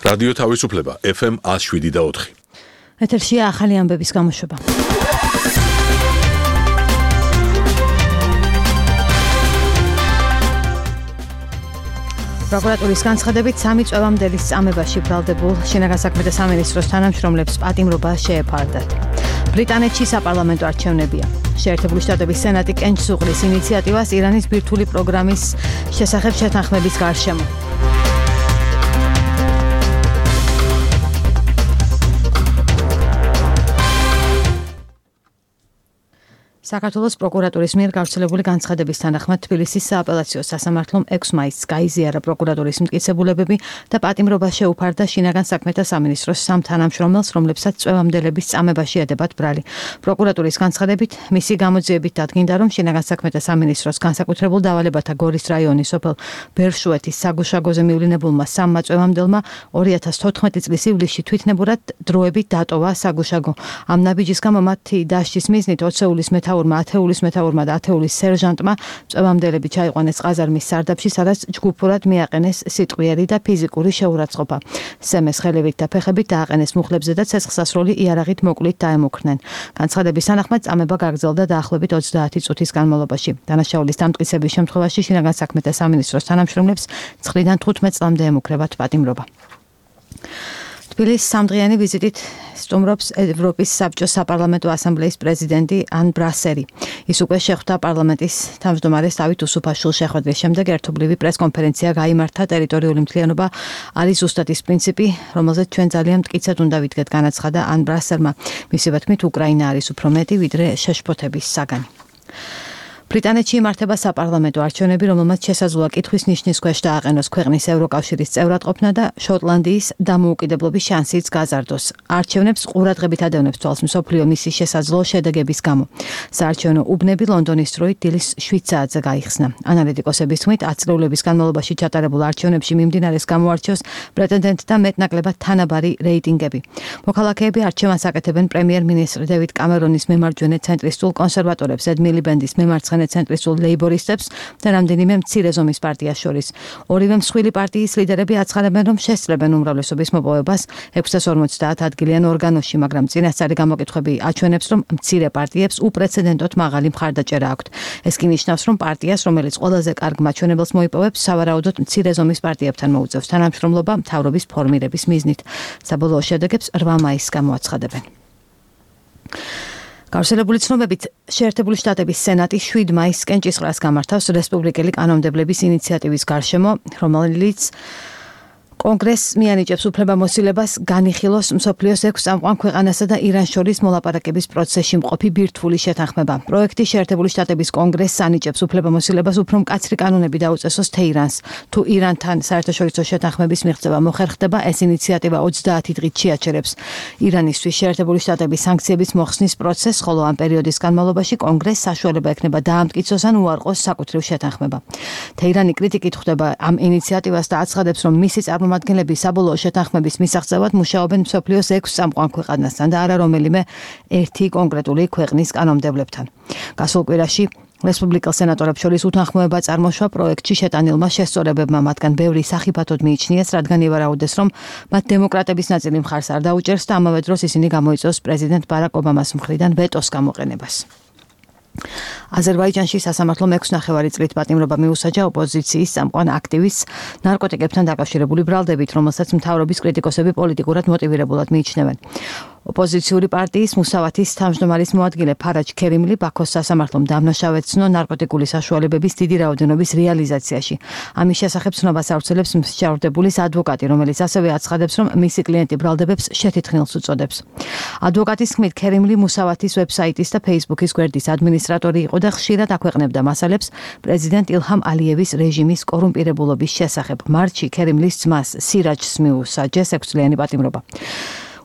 რადიო თავისუფლება FM 107.4. ეთერშია ახალი ამბების გამოშვება. პროკურატურის განცხადებით 3 წვევამდელი წამებაში ბრალდებულ შინაგან საქმეთა სამინისტროს თანამშრომლებს პატიმრობა შეეფარდათ. ბრიტანეთში საპარლამენტო არჩევნებია. შეერთებული შტატების სენატი კენჭს უყრის ინიციატივას ირანის ბირთვული პროგრამის შესახებ შეთანხმების გარშემო. საქართველოს პროკურატურის მიერ გავრცელებული განცხადების თანახმად თბილისის სააპელაციო სასამართლომ 6 მაისს გაიზიარა პროკურატურის მტკიცებულებები და პატიმრობა შეუფარდა შინაგან საქმეთა სამინისტროს 3 თანამშრომელს, რომლებსაც წვევამდელების წამებაში ედებათ ბრალი. პროკურატურის განცხადებით მისი გამოძიებით დადგინდა, რომ შინაგან საქმეთა სამინისტროს განსაკუთრებულ დავალებათა გორის რაიონის სოფელ ბერშუეთის საგუშაგოზე მივლინებულმა 3 წვევამდელმა 2014 წლის ივლისში თვითნებურად დროებით დატოვა საგუშაგო. ამ ნაბიჯის გამო მათი დასჯის მიზნით 20-ის მეთაურმა, 10-ის მეთაურმა და 10-ის სერჟანტმა წვევამდელები ჩაიყვანეს ყაზარმის სარდაფში, სადაც ჯგუფურად მიაყენეს სიტყვიერი და ფიზიკური შეურაცხყოფა. სემეს ხელებით და ფეხებით დააყენეს მუხლებზე და ცეცხლსასროლი იარაღით მოკლით დაემუქრნენ. განცხადების თანახმად წამება გაგრძელდა დაახლოებით 30 წუთის განმავლობაში. დანაშაულის დამტკიცების შემთხვევაში შინაგან საქმეთა სამინისტროს თანამშრომლებს 9-დან 15 წლამდე ემუქრებათ პატიმრობა. თბილისის 3-დღიანი ვიზიტით სტუმრობს ევროპის საბჭოს საპარლამენტო ასამბლეის პრეზიდენტი ან ბრასერი. ის უკვე შეხვდა პარლამენტის თავმჯდომარეს დავით უსუფაშვილს. შეხვედრის შემდეგ ერთობლივი პრესკონფერენცია გაიმართა. ტერიტორიული მთლიანობა არის ზუსტად ის პრინციპი, რომელზეც ჩვენ ძალიან მტკიცედ უნდა ვიდგეთ, განაცხადა ან ბრასერმა. მისივე თქმით, უკრაინა არის უფრო მეტი, ვიდრე შეშფოთების საგანი. ბრიტანეთში იმართება საპარლამენტო არჩევნები, რომელმაც შესაძლოა კითხვის ნიშნის ქვეშ დააყენოს ქვეყნის ევროკავშირის წევრად ყოფნა და შოტლანდიის დამოუკიდებლობის შანსიც გაზარდოს. არჩევნებს ყურადღებით ადევნებს თვალს მსოფლიო მისის შესაძლო შედეგების გამო. საარჩევნო უბნები ლონდონის დროით დილის 7 საათზე გაიხსნა. ანალიტიკოსების თქმით, 10 წლების განმავლობაში ჩატარებულ არჩევნებში მიმდინარეს გამოარჩევს პრეტენდენტთა მეტნაკლებად თანაბარი რეიტინგები. მოქალაქეები არჩევანს აკეთებენ პრემიერ-მინისტრ დევიდ კამერონის მემარჯვენე ცენტრისტულ კონსერვატორებს, ედ მილიბენდის მემარცხენე ცენტრისტულ ლეიბორისტებს და რამდენიმე მცირე ზომის პარტიას შორის. ორივე მსხვილი პარტიის ლიდერები აცხადებენ, რომ შესწრებენ უმრავლესობის მოპოვებას 650 ადგილიან ორგანოში, მაგრამ წინასწარი გამოკითხვები აჩვენებს, რომ მცირე პარტიებს უპრეცედენტოდ მაღალი მხარდაჭერა აქვთ. ეს კი ნიშნავს, რომ პარტიას, რომელიც ყველაზე კარგ მაჩვენებელს მოიპოვებს, სავარაუდოდ მცირე ზომის პარტიებთან მოუწევს თანამშრომლობა მთავრობის ფორმირების მიზნით. საბოლოო შედეგებს 8 მაისს გამოაცხადებენ. გავრცელებული ცნობებით, შეერთებული შტატების სენატი 7 მაისს კენჭისყრას გამართავს რესპუბლიკელი კანონმდებლების ინიციატივის გარშემო, რომელიც კონგრესს მიანიჭებს უფლებამოსილებას განიხილოს მსოფლიოს 6 წამყვან ქვეყანასა და ირანს შორის მოლაპარაკების პროცესში მყოფი ბირთვული შეთანხმება. პროექტი შეერთებული შტატების კონგრესს ანიჭებს უფლებამოსილებას უფრო მკაცრი კანონები დაუწესოს თეირანს. თუ ირანთან საერთაშორისო შეთანხმების მიღწევა მოხერხდება, ეს ინიციატივა 30 დღით შეაჩერებს ირანისთვის შეერთებული შტატების სანქციების მოხსნის პროცესს, ხოლო ამ პერიოდის განმავლობაში კონგრესს საშუალება ექნება დაამტკიცოს ან უარყოს საკუთრივ შეთანხმება. თეირანი კრიტიკით ხვდება ამ ინიციატივას და აცხადებს, რომ მისი წარმომადგენლები საბოლოო შეთანხმების მისაღწევად მუშაობენ მსოფლიოს 6 წამყვან ქვეყანასთან და არა რომელიმე ერთი კონკრეტული ქვეყნის კანონმდებლებთან. გასულ კვირაში რესპუბლიკელ სენატორებს შორის უთანხმოება წარმოშვა პროექტში შეტანილმა შესწორებებმა, მათგან ბევრი სახიფათოდ მიიჩნიეს, რადგან ივარაუდეს, რომ მათ დემოკრატების ნაწილი მხარს არ დაუჭერს და ამავე დროს ისინი გამოიწვევს პრეზიდენტ ბარაკ ობამას მხრიდან ვეტოს გამოყენებას. აზერბაიჯანში სასამართლომ 6.5 წლით პატიმრობა მიუსაჯა ოპოზიციის წამყვან აქტივისტს ნარკოტიკებთან დაკავშირებული ბრალდებით, რომელსაც მთავრობის კრიტიკოსები პოლიტიკურად მოტივირებულად მიიჩნევენ. ოპოზიციური პარტიის მუსავათის თავმჯდომარის მოადგილე ფარაჯ ქერიმლი ბაქოს სასამართლომ დამნაშავეცნო ნარკოტიკული საშუალებების დიდი რაოდენობის რეალიზაციაში. ამის შესახებ ცნობას ავრცელებს მსჯავრდებულის ადვოკატი, რომელიც ასევე აცხადებს, რომ მისი კლიენტი ბრალდებებს შეთითხილს უწოდებს. ადვოკატის თქმით, ქერიმლი მუსავათის ვებსაიტის და ფეისბუქის გვერდის ადმინისტრატორი იყო და ხშირად აქვეყნებდა მასალებს პრეზიდენტ ილჰამ ალიევის რეჟიმის კორუმპირებულობის შესახებ. მარტში ქერიმლის ძმას სირაჯს მიუსაჯეს 6 წლიანი პატიმრობა.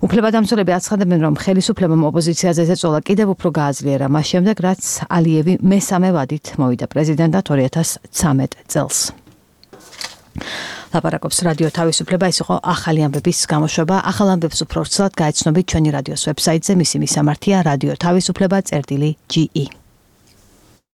უფლებადამცველები აცხადებენ, რომ ხელისუფლებამ ოპოზიციაზე ზეწოლა კიდევ უფრო გააძლიერა მას შემდეგ, რაც ალიევი მესამე ვადით მოვიდა პრეზიდენტად 2013 წელს. ლაპარაკობს რადიო თავისუფლება, ის იყო ახალი ამბების გამოშვება. ახალ ამბებს უფრო ვრცლად გაეცნობით ჩვენი რადიოს ვებსაიტზე, მისი მისამართია რადიო თავისუფლება.ge